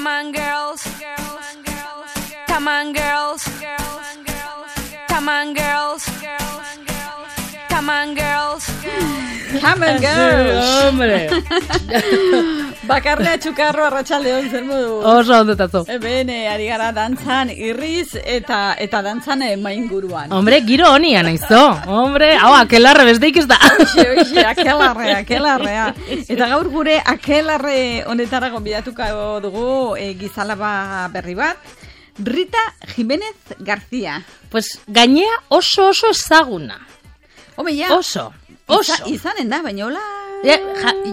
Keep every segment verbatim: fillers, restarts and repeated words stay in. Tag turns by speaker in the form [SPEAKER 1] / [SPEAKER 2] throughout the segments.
[SPEAKER 1] Come on, girls. Come on, girls. Come on, girls. Come on, girls.
[SPEAKER 2] Come on, girls.
[SPEAKER 3] Hombre.
[SPEAKER 2] Bakarrea txukarro arratsaldeon zer modu.
[SPEAKER 3] Oso ondetazo.
[SPEAKER 2] Eben, eh, ari gara dantzan irriz eta eta dantzan eh, mainguruan.
[SPEAKER 3] Hombre, giro honia naizo. Hombre, hau, akelarre besteik ez da.
[SPEAKER 2] Oixe, oixe, akelarre, akelarrea. Eta gaur gure akelarre honetara gonbidatuko dugu eh, gizalaba berri bat. Rita Jiménez García.
[SPEAKER 3] Pues gainea oso oso ezaguna.
[SPEAKER 2] Home, ja.
[SPEAKER 3] Oso, oso.
[SPEAKER 2] Iza, izanen da, baina hola...
[SPEAKER 3] Ja,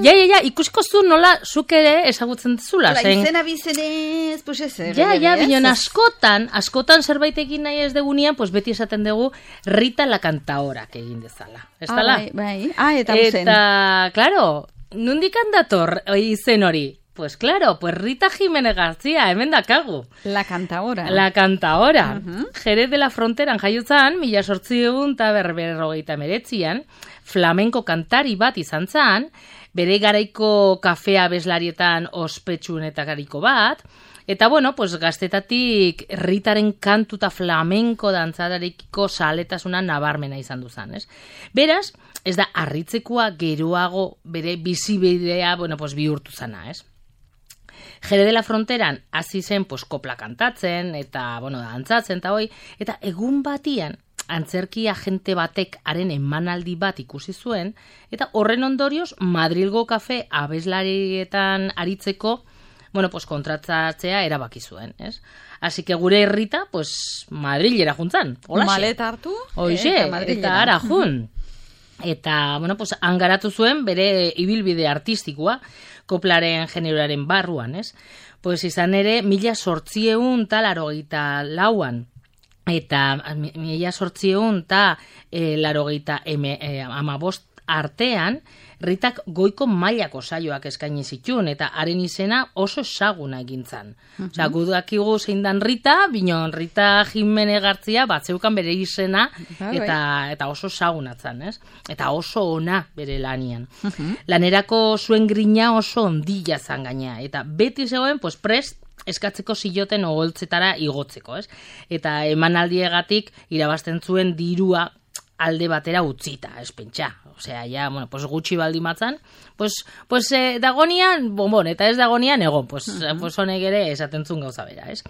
[SPEAKER 3] ja, ja, ja, ikusiko zu nola zuk ere ezagutzen zula.
[SPEAKER 2] Hola,
[SPEAKER 3] zen...
[SPEAKER 2] izena bizenez, pues ez.
[SPEAKER 3] Ja, ja, bineon askotan, askotan zerbait egin nahi ez degunean, pues beti esaten dugu Rita la Cantaorak egin dezala. Ez
[SPEAKER 2] ah,
[SPEAKER 3] dala?
[SPEAKER 2] Bai, bai. Ah, eta uzen.
[SPEAKER 3] Eta, claro, nondik handator izen hori? Pues claro, pues Rita Jiménez García, hemen dakagu.
[SPEAKER 2] La Cantaora.
[SPEAKER 3] La Cantaora.
[SPEAKER 2] Uh-huh.
[SPEAKER 3] Jerez de la Fronteran jaiotzan, mila sortziehun eta berberrogeita meretzian, flamenko kantari bat izan zan, bere garaiko kafea bezlarietan ospetsuenetariko bat, eta bueno, pues gaztetatik Ritaren kantuta flamenko dantzadarekiko saletasunan nabarmena izan duzan, ez? Beraz, ez da harritzekoa geroago bere bizibidea, bueno, pues bihurtu zana, ez? Jerez de la Fronteran hasi zen pues kopla kantatzen eta bueno, dantzatzen eta hoi, eta egun batian antzerki agente batek haren emanaldi bat ikusi zuen eta horren ondorioz Madrilgo kafe abeslarietan aritzeko bueno, pues kontratzatzea erabaki zuen, ez? Así que gure Rita, pues Madrilera juntzan, holaxe.
[SPEAKER 2] Maleta hartu,
[SPEAKER 3] Hoxe,
[SPEAKER 2] eta Madrilera.
[SPEAKER 3] Eta ara jun. Eta, bueno, pues hangaratu zuen bere ibilbide artistikoa, koplaren generoaren barruan, ez? Pues izan ere, mila sortzieun talarogeita lauan, eta mila sortzieun ta e, larogeita eme, e, amabost artean, Ritak goiko mailako saioak eskaini zituen, eta haren izena oso ezaguna egintzan. Uh-huh. Osea, gudakigu zein dan Rita, binon Rita Jiménez García batzeukan bere izena, eta, eta oso ezagunatzen, ez? Eta oso ona bere lanian. Uh-huh. Lanerako zuen grina oso ondila zan gaina, eta beti zegoen, pues, prest, eskatzeko ziloten oholtzetara igotzeko, ez? Eta emanaldiegatik irabazten zuen dirua alde batera utzita, ez pentsa. Osea, ja, bueno, pues gutxi baldi matzan, pues, pues eh, dagonian, bonbon, eta ez dagonian egon, pues, uh-huh. pues honek ere esaten zuen gauza bera, ez?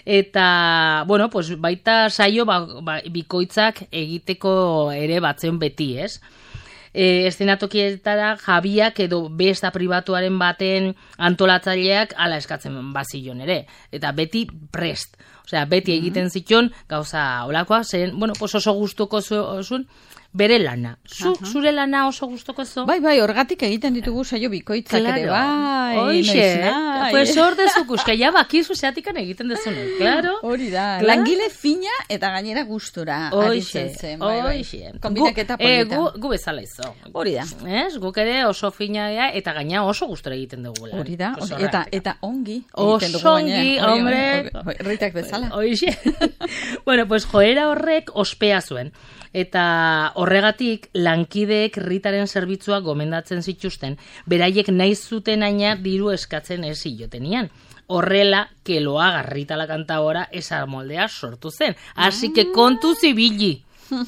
[SPEAKER 3] Eta, bueno, pues baita saio ba, ba, bikoitzak egiteko ere batzen beti, ez? E, eszenatokietara jabiak edo besta pribatuaren baten antolatzaileak ala eskatzen bazilon ere. Eta beti prest. Osea, beti egiten zituen gauza olakoa, zen, bueno, pues oso gustuko zuen bere lana. Zu, uh-huh. Zure lana oso gustuko zu?
[SPEAKER 2] Bai, bai, horgatik egiten ditugu saio bikoitzak
[SPEAKER 3] claro.
[SPEAKER 2] ere, bai.
[SPEAKER 3] Oixe, pues hor dezuk, uska, ja bakizu zeatikan egiten dezune, claro.
[SPEAKER 2] Hori da, claro. Langile fina eta gainera gustura aritzen zen. Bai, bai.
[SPEAKER 3] Oixe,
[SPEAKER 2] konbitaketa polita.
[SPEAKER 3] Eh, gu, gu bezala izo.
[SPEAKER 2] Hori da.
[SPEAKER 3] Ez, guk ere oso fina ea, eta gaina oso gustura egiten dugu.
[SPEAKER 2] Hori da, pues eta, eta ongi.
[SPEAKER 3] Oso ongi, hombre.
[SPEAKER 2] Ritak bezala.
[SPEAKER 3] Oixe. Bueno, pues joera horrek ospea zuen. Eta horregatik lankideek Ritaren zerbitzua gomendatzen zituzten, beraiek nahi zuten aina diru eskatzen ez zilotenian. Horrela, que lo haga Rita la Cantaora esa moldea sortu zen. Así que kontu zibili.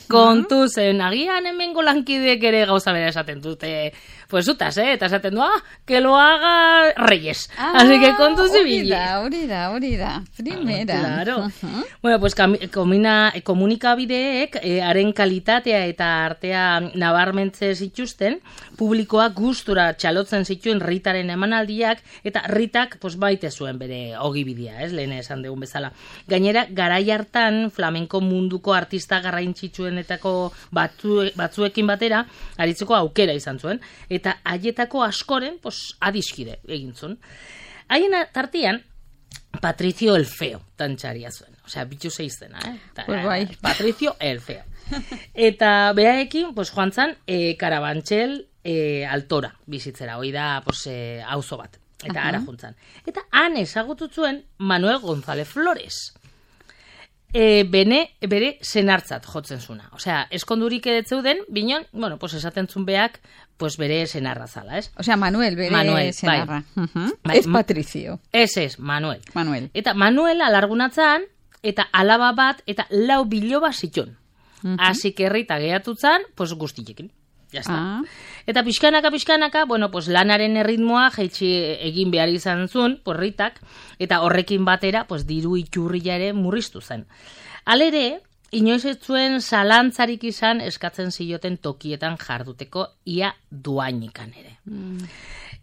[SPEAKER 3] Kontu zen, agian hemengo lankideek ere gauza bera esaten dute, pues zutaz, eh? Eta esaten du, ah, que lo haga Reyes. Ah, así que kontu zibili.
[SPEAKER 2] Hori da, hori da, hori da. Primera.
[SPEAKER 3] Ah, claro. Uh-huh. Bueno, pues komina, komunikabideek eh, haren kalitatea eta artea nabarmentze zituzten, publikoak gustura txalotzen zituen Ritaren emanaldiak, eta Ritak pues, baite zuen bere ogibidea, ez, lehen esan dugun bezala. Gainera, garai hartan flamenko munduko artista garrantzitsuenetako batzu, batzuekin batera, aritzeko aukera izan zuen, eta haietako askoren, pues, adiskide egin zuen. Haien tartian, Patricio el Feo tantxaria zuen. Osea, bitxu zeizena, eh? Ta,
[SPEAKER 2] pues bai.
[SPEAKER 3] Patricio el Feo. Eta beraekin, pues, joan zan, e, Karabantxel e, Altora bizitzera, hoi da, pues, e, auzo bat. Eta uh-huh. Ara juntzan. Eta han ezagutu zuen Manuel González Flores. e, bene, bere senartzat jotzen zuna. Osea, eskondurik edetzeuden, binon, bueno, pues esaten zun beak, pues bere senarra zala, ez?
[SPEAKER 2] Osea, Manuel, bere
[SPEAKER 3] Manuel,
[SPEAKER 2] senarra.
[SPEAKER 3] bai.
[SPEAKER 2] Uh-huh.
[SPEAKER 3] Bai,
[SPEAKER 2] Ez Patricio.
[SPEAKER 3] Ez, ez, Manuel.
[SPEAKER 2] Manuel.
[SPEAKER 3] Eta Manuel alargunatzan, eta alaba bat, eta lau biloba zitun.
[SPEAKER 2] Uh-huh.
[SPEAKER 3] Así que Rita gehatutzan, pues guztiekin. Ya está.
[SPEAKER 2] Ah.
[SPEAKER 3] Eta pixkanaka, pixkanaka, bueno, pues lanaren erritmoa jaitsi egin behar izan zuen, pues Ritak, eta horrekin batera, pues diru iturria ere murriztu zen. Halere, inoiz ez zuen zalantzarik izan eskatzen zioten tokietan jarduteko ia duainikan ere. Mm.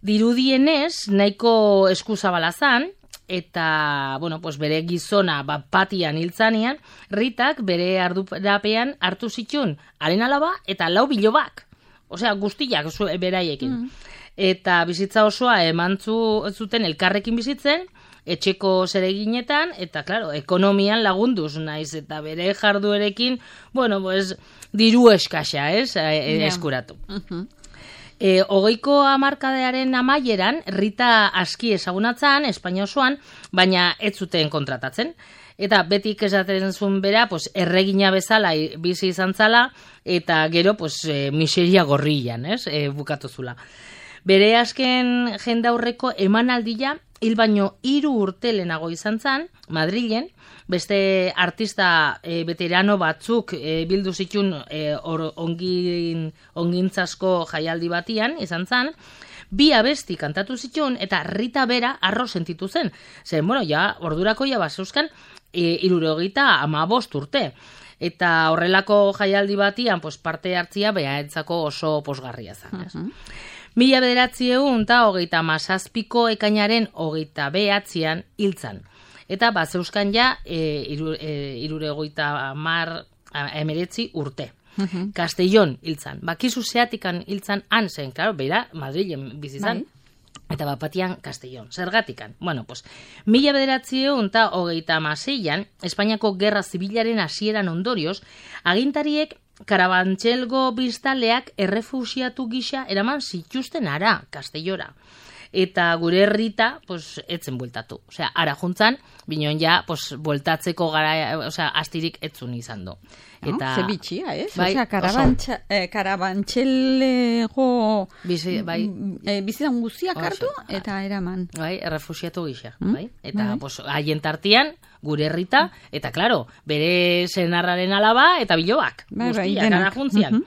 [SPEAKER 3] Dirudienez, nahiko eskuzabala zan, eta, bueno, pues bere gizona bat patian hiltzanian, Ritak bere ardurapean hartu zitun haren alaba eta lau bilobak. Osea, guztiak beraiekin. Mm. Eta bizitza osoa emantzu zuten elkarrekin bizitzen, etxeko zereginetan, eta, claro, ekonomian lagunduz naiz, eta bere jarduerekin, bueno, pues, diru eskaxa, ez, yeah. eskuratu. Uh-huh. E, hogeiko hamarkadearen amaieran, Rita aski ezagunatzen, Espainia osoan, baina ez zuten kontratatzen. Eta betik esaten zuen bera, pues, erregina bezala bizi izan zala, eta gero, pues, e, miseria gorrian, ez, e, bukatu zula. Bere azken jendaurreko emanaldia, hil baino hiru urte lehenago izan zen, Madrilen, beste artista e, veterano batzuk e, bildu zitun e, or, ongin, ongintzasko jaialdi batian izan zen, bi abesti kantatu zitun eta Rita bera arro sentitu zen. Zer, bueno, ja, ordurako ja bazeuzkan e, irurogeita amabost urte. Eta horrelako jaialdi batian pues, parte hartzia behaetzako oso posgarria zen. Uh-huh. Mila bederatziehun eta hogeita mazazpiko ekainaren hogeita behatzean hiltzan. Eta bat zeuskan ja e, iru, e, iruregoita mar emeretzi urte. Uh-huh. Castellón hiltzan. Bakizu zeatikan hiltzan han zen, claro, beira, Madrilen bizizan. Bai. Eta bapatian Castellón. Zergatikan. Bueno, pues, mila bederatziehun eta hogeita amaseian, Espainiako Gerra Zibilaren hasieran ondorioz, agintariek Karabantxelgo biztaleak errefusiatu gisa eraman zituzten ara, Castellora. Eta gure Rita, pues, etzen bueltatu. Osea, ara juntzan, binon ja, pues, bueltatzeko gara, osea, astirik etzun izan do.
[SPEAKER 2] Eta... No, ze bitxia, ez? Bai, osea, karabantxa, eh, karabantxelego
[SPEAKER 3] bizi, bai,
[SPEAKER 2] eh, bizidan guztiak hartu, eta eraman.
[SPEAKER 3] Bai, errefusiatu gisa, mm? bai? Eta, bai. Pues, haien tartian, gure Rita, eta, claro, bere senarraren alaba, eta bilobak, bai, guztiak, ara juntzian. Uh-huh.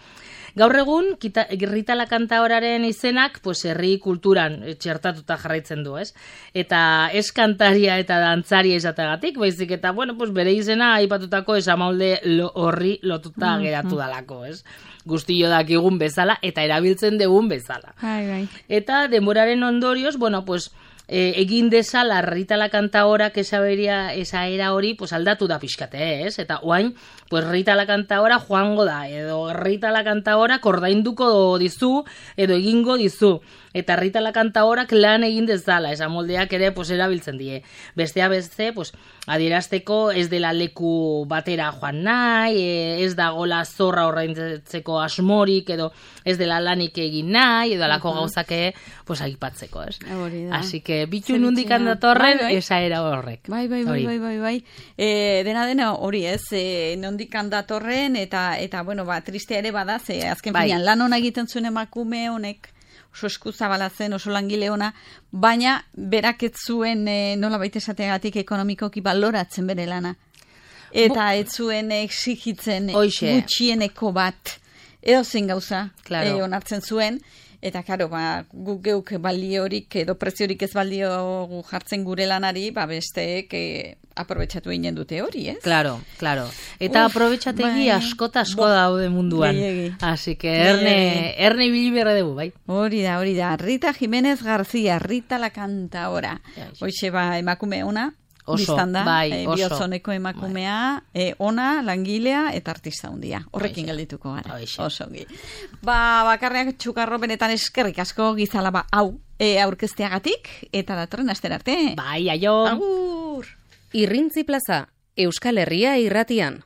[SPEAKER 3] Gaur egun, kita, Rita la kantaoraren izenak, pues, herri kulturan txertatuta jarraitzen du, ez? Eta ez kantaria eta dantzaria izategatik, baizik, eta, bueno, pues, bere izena aipatutako esamolde lo, horri lotuta mm-hmm. geratu dalako, ez? Guztio dakigun bezala, eta erabiltzen dugun bezala.
[SPEAKER 2] Ai, bai.
[SPEAKER 3] Eta denboraren ondorioz, bueno, pues, E, egin dezala Rita la kantaorak esaberia, esaera hori pues, aldatu da pixkate, ez? Eta oain, pues, Rita la kantaora joango da, edo Rita la kantaora kordainduko dizu, edo egingo dizu. Eta Rita la kantaorak lan egin dezala, esa moldeak ere pues, erabiltzen die. Bestea beste, pues, adierazteko ez dela leku batera joan nahi, ez dagola zorra ordaintzeko asmorik, edo ez dela lanik egin nahi, edo alako uh-huh. gauzake pues, aipatzeko, ez? Así que bitu nundik handatorren, bai, bai. Esa era horrek.
[SPEAKER 2] Bai, bai, bai, bai, bai, bai. E, dena dena hori ez, e, nondik handatorren, eta, eta bueno, ba, tristea ere bada, ze azken bai. Finean, lan hona egiten zuen emakume honek, oso eskuzabala zen, oso langile ona, baina berak ez zuen e, nola baita esateagatik ekonomikoki baloratzen bere lana. Eta ez zuen exigitzen gutxieneko bat, edo zen gauza, claro. e, onartzen zuen, eta karo, ba, guk geuk baliorik edo preziorik ez balio jartzen gure lanari, ba besteek e, aprobetxatu egin dute hori, ez?
[SPEAKER 3] Claro, claro. Eta Uf, aprobetxategi bai, askota asko bo, daude munduan. Bai, Así que erne, erne ibili berre dugu, bai.
[SPEAKER 2] Hori da, hori da. Rita Jiménez García, Rita la kantaora. Hoxe ba emakume ona.
[SPEAKER 3] Oso,
[SPEAKER 2] biztanda,
[SPEAKER 3] bai,
[SPEAKER 2] e,
[SPEAKER 3] oso.
[SPEAKER 2] Bihotzoneko emakumea, bai. e, ona, langilea eta artista hundia. Horrekin Oixe. Geldituko gara.
[SPEAKER 3] Oixe.
[SPEAKER 2] Oso ongi. Ba, bakarriak txukarro benetan eskerrik asko gizalaba hau e, aurkezteagatik, eta datorren astera arte.
[SPEAKER 3] Bai, aio.
[SPEAKER 2] Agur.
[SPEAKER 4] Irrintzi plaza, Euskal Herria irratian.